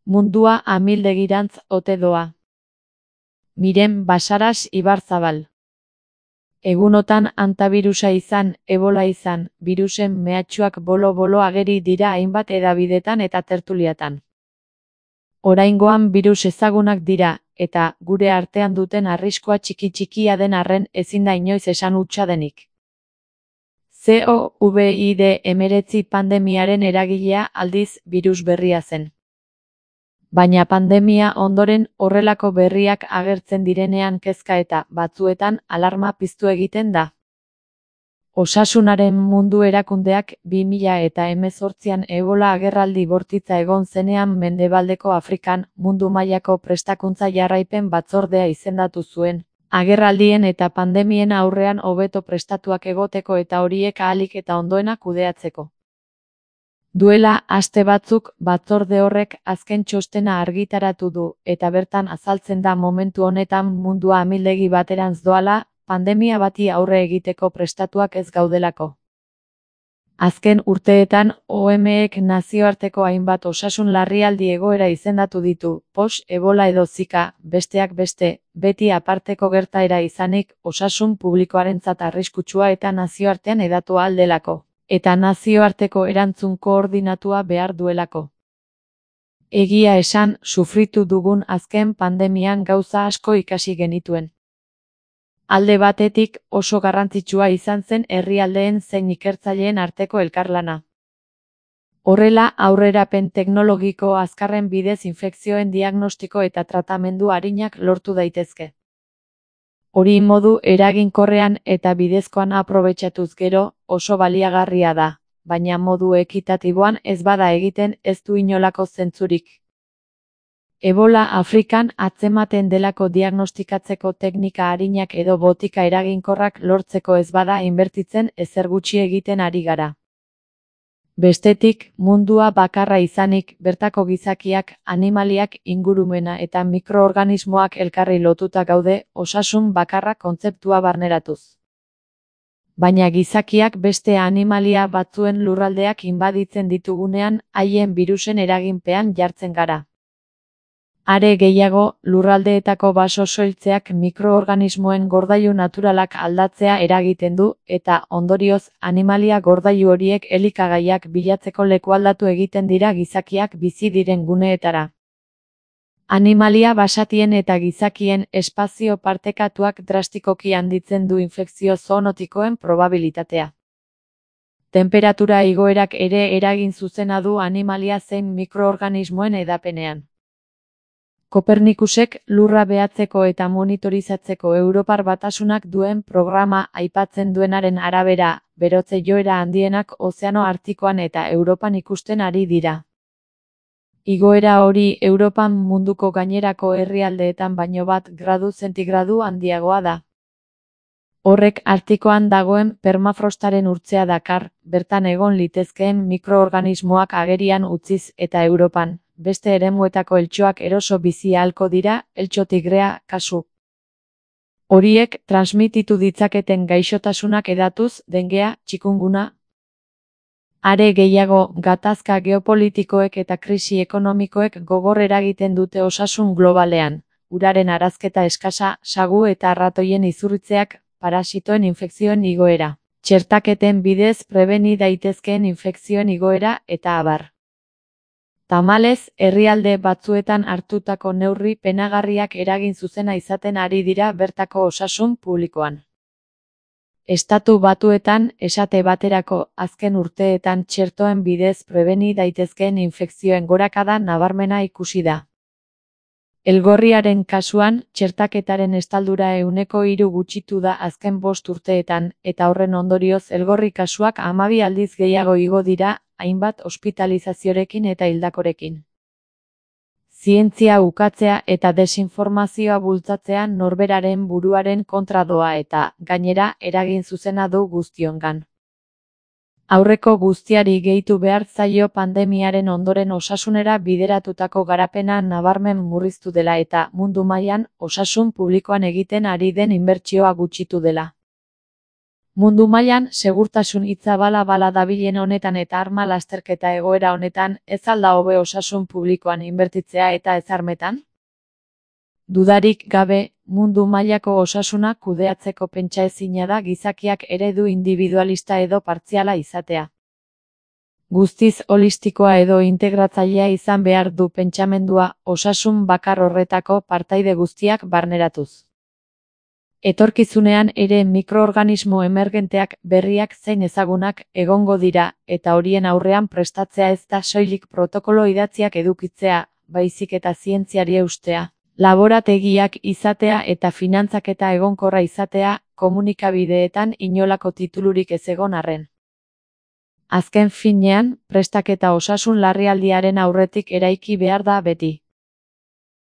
Mundua amildegirantz ote doa. Miren Basaras Ibarzabal. Egunotan antabirusa izan, ebola izan, birusen mehatxuak bolo-bolo ageri dira hainbat hedabidetan eta tertuliatan. Oraingoan birus ezagunak dira, eta gure artean duten arriskua txiki-txikia den arren ezin da inoiz esan hutsa denik. COVID-19 pandemiaren eragilea aldiz birus berria zen. Baina pandemia ondoren horrelako berriak agertzen direnean kezka eta, batzuetan, alarma piztu egiten da. Osasunaren Mundu Erakundeak 2018an ebola agerraldi bortitza egon zenean Mendebaldeko Afrikan mundu mailako prestakuntza jarraipen batzordea izendatu zuen, agerraldien eta pandemien aurrean hobeto prestatuak egoteko eta horiek ahalik eta ondoena kudeatzeko. Duela aste batzuk batzorde horrek azken txostena argitaratu du, eta bertan azaltzen da momentu honetan mundua amildegi baterantz doala, pandemia bati aurre egiteko prestatuak ez gaudelako. Azken urteetan OMSek nazioarteko hainbat osasun larrialdi egoera izendatu ditu, POX, ebola edo Zika, besteak beste, beti aparteko gertaera izanik, osasun publikoarentzat arriskutsua eta nazioartean hedatu ahal delako, eta nazioarteko erantzun koordinatua behar duelako. Egia esan, sufritu dugun azken pandemian gauza asko ikasi genituen. Alde batetik, oso garrantzitsua izan zen herrialdeen zein ikertzaileen arteko elkarlana. Horrela, aurrerapen teknologiko azkarren bidez infekzioen diagnostiko eta tratamendu arinak lortu daitezke. Hori modu eraginkorrean eta bidezkoan aprobetxatuz gero, oso baliagarria da, baina modu ekitatiboan ez bada egiten ez du inolako zentzurik. Ebola Afrikan atzematen delako diagnostikatzeko teknika arinak edo botika eraginkorrak lortzeko ez bada inbertitzen ezer gutxi egiten ari gara. Bestetik, mundua bakarra izanik, bertako gizakiak, animaliak, ingurumena eta mikroorganismoak elkarri lotuta gaude, osasun bakarra kontzeptua barneratuz. Baina gizakiak beste animalia batzuen lurraldeak inbaditzen ditugunean, haien birusen eraginpean jartzen gara. Are gehiago, lurraldeetako baso soiltzeak mikroorganismoen gordailu naturalak aldatzea eragiten du, eta, ondorioz, animalia gordailu horiek elikagaiak bilatzeko lekualdatu egiten dira gizakiak bizi diren guneetara. Animalia basatien eta gizakien espazio partekatuak drastikoki handitzen du infekzio zoonotikoen probabilitatea. Tenperatura igoerak ere eragin zuzena du animalia zein mikroorganismoen hedapenean. Kopernikusek lurra behatzeko eta monitorizatzeko Europar Batasunak duen programa aipatzen duenaren arabera, berotze joera handienak Ozeano Artikoan eta Europan ikusten ari dira. Igoera hori Europan munduko gainerako herrialdeetan baino 1 gradu zentigradu handiagoa da. Horrek Artikoan dagoen permafrostaren urtzea dakar, bertan egon litezkeen mikroorganismoak agerian utziz eta Europan, beste eremuetako eltxoak eroso bizi ahalko dira, eltxo tigrea, kasu. Horiek transmititu ditzaketen gaixotasunak hedatuz, dengea, txikunguna. Are gehiago, gatazka geopolitikoek eta krisi ekonomikoek gogor eragiten dute osasun globalean, uraren arazketa eskasa, sagu eta arratoien izurritzeak, parasitoen infekzioen igoera, txertaketen bidez prebeni daitezkeen infekzioen igoera eta abar. Tamalez, herrialde batzuetan hartutako neurri penagarriak eragin zuzena izaten ari dira bertako osasun publikoan. Estatu Batuetan, esate baterako, azken urteetan txertoen bidez prebeni daitezkeen infekzioen gorakada nabarmena ikusi da. Elgorriaren kasuan, txertaketaren estaldura 3% gutxitu da azken 5 urteetan, eta horren ondorioz elgorri kasuak 12 aldiz gehiago igo dira, hainbat ospitalizaziorekin eta hildakorekin. Zientzia ukatzea eta desinformazioa bultzatzea norberaren buruaren kontra doa eta, gainera, eragin zuzena du guztiongan. Aurreko guztiari gehitu behar zaio pandemiaren ondoren osasunera bideratutako garapena nabarmen murriztu dela eta mundu mailan osasun publikoan egiten ari den inbertsioa gutxitu dela. Mundu mailan segurtasun hitza bala dabilen honetan eta arma lasterketa egoera honetan, ez al da hobe osasun publikoan inbertitzea eta ez armetan? Dudarik gabe, mundu mailako osasuna kudeatzeko pentsaezina da gizakiak eredu individualista edo partziala izatea. Guztiz holistikoa edo integratzailea izan behar du pentsamendua, osasun bakar horretako partaide guztiak barneratuz. Etorkizunean ere mikroorganismo emergenteak, berriak zein ezagunak egongo dira, eta horien aurrean prestatzea ez da soilik protokolo idatziak edukitzea, baizik eta zientziari eustea, laborategiak izatea eta finantzaketa egonkorra izatea, komunikabideetan inolako titulurik ez egon arren. Azken finean, prestaketa osasun larrialdiaren aurretik eraiki behar da beti.